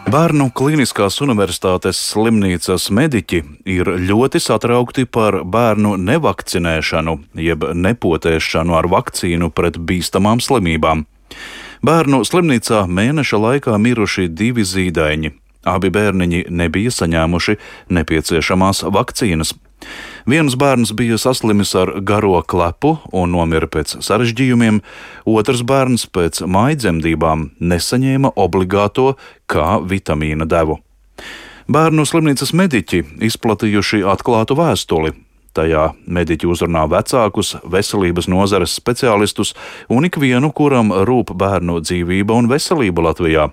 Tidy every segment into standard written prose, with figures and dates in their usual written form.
Bērnu Kliniskās universitātes slimnīcas mediķi ir ļoti satraukti par bērnu nevakcinēšanu, jeb nepotēšanu ar vakcīnu pret bīstamām slimībām. Bērnu slimnīcā mēneša laikā miruši 2 zīdaiņi. Abi bērniņi nebija saņēmuši nepieciešamās vakcīnas. Viens bērns bija saslimis ar garo klepu un nomira pēc sarežģījumiem, otrs bērns pēc mājdzemdībām nesaņēma obligāto K vitamīna devu. Bērnu slimnīcas mediķi izplatījuši atklātu vēstuli. Tajā mediķi uzrunā vecākus, veselības nozares speciālistus un ikvienu, kuram rūp bērnu dzīvība un veselība Latvijā.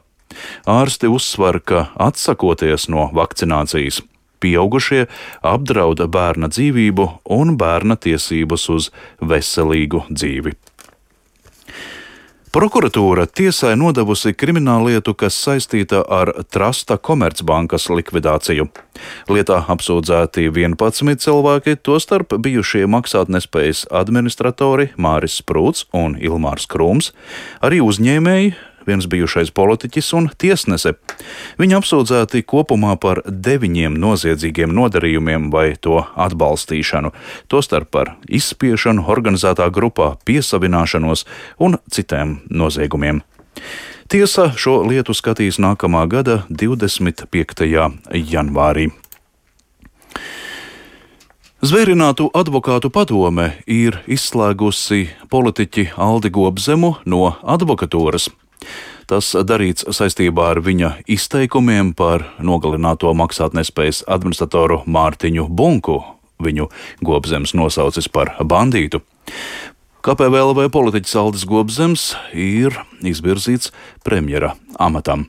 Ārsti uzsver, ka atsakoties no vakcinācijas, pieaugušie apdrauda bērna dzīvību un bērna tiesības uz veselīgu dzīvi. Prokuratūra tiesai nodevusi krimināllietu, kas saistīta ar Trasta Komercbankas likvidāciju. Lietā apsūdzēti 11 cilvēki, tostarp bijušie maksātnespējas administratori Māris Sprūts un Ilmārs Krūms, arī uzņēmēji, viens bijušais politiķis un tiesnese. Viņi apsūdzēti kopumā par 9 noziedzīgiem nodarījumiem vai to atbalstīšanu, tostarp par izspiešanu organizētā grupā, piesavināšanos un citiem noziegumiem. Tiesa šo lietu skatīs nākamā gada 25. janvārī. Zvērinātu advokātu padome ir izslēgusi politiķi Aldi Gobzemu no advokatūras. Tas darīts saistībā ar viņa izteikumiem par nogalināto maksātnespējas administratoru Mārtiņu Bunku. Viņu Gobzems nosaucis par bandītu. KPVLV politiķis Aldis Gobzems ir izvirzīts premjera amatam.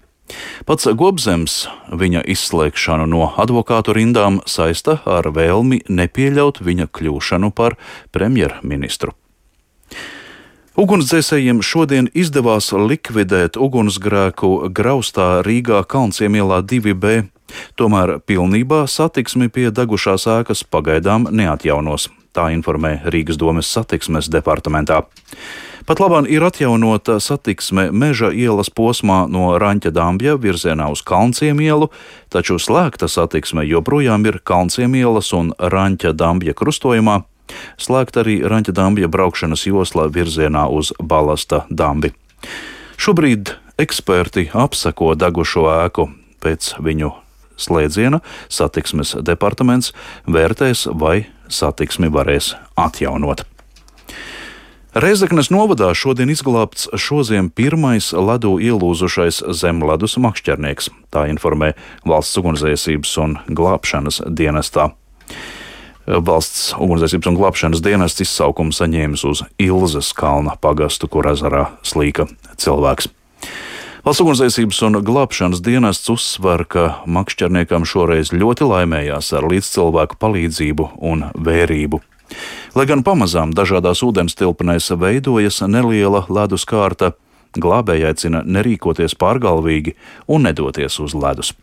Pats Gobzems viņa izslēgšanu no advokātu rindām saista ar vēlmi nepieļaut viņa kļūšanu par premjerministru. Ugunsdzēsējiem šodien izdevās likvidēt ugunsgrēku Graustā Rīgā Kalnciemielā 2B, tomēr pilnībā satiksmi pie degušās ēkas pagaidām neatjaunos, tā informē Rīgas domes satiksmes departamentā. Pat labāk ir atjaunota satiksme Meža ielas posmā no Raņķa Dambja virzienā uz Kalnciemielu, taču slēgta satiksme joprojām ir Kalnciemielas un Raņķa Dambja krustojumā. Slēgt arī Raņķa Dambja braukšanas joslā virzienā uz Balasta Dambi. Šobrīd eksperti apseko degušo ēku. Pēc viņu slēdziena satiksmes departaments vērtēs, vai satiksmi varēs atjaunot. Rēzeknes novadā šodien izglābts šoziem pirmais ledū ielūzušais zemledus makšķernieks. Tā informē Valsts ugunsdzēsības un glābšanas dienestā. Valsts ugunsdzēsības un glābšanas dienests izsaukumu saņēmis uz Ilzas kalna pagastu, kur ezerā slīka cilvēks. Valsts ugunsdzēsības un glābšanas dienests uzsver, ka makšķerniekam šoreiz ļoti laimējās ar līdzcilvēku palīdzību un vērību. Lai gan pamazām dažādās ūdenstilpnēs veidojas neliela ledus kārta, glābēji aicina nerīkoties pārgalvīgi un nedoties uz ledus.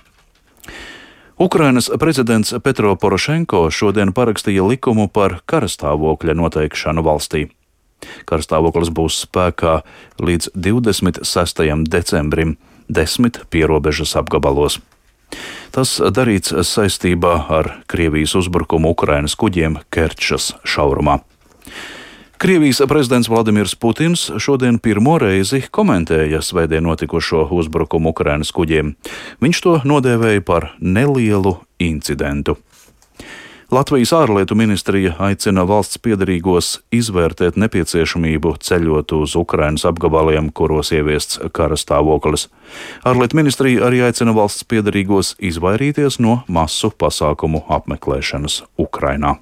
Ukrainas prezidents Petro Porošenko šodien parakstīja likumu par karastāvokļa noteikšanu valstī. Karastāvoklis būs spēkā līdz 26. decembrim 10 pierobežas apgabalos. Tas darīts saistībā ar Krievijas uzbrukumu Ukrainas kuģiem Kerčas šaurumā. Krievijas prezidents Vladimirs Putins šodien pirmo reizi komentēja svētdien notikušo uzbrukumu Ukrainas kuģiem. Viņš to nodēvēja par nelielu incidentu. Latvijas ārlietu ministrija aicina valsts piederīgos izvērtēt nepieciešamību ceļot uz Ukrainas apgabaliem, kuros ieviests karastāvoklis. Ārlietu ministrija arī aicina valsts piederīgos izvairīties no masu pasākumu apmeklēšanas Ukrainā.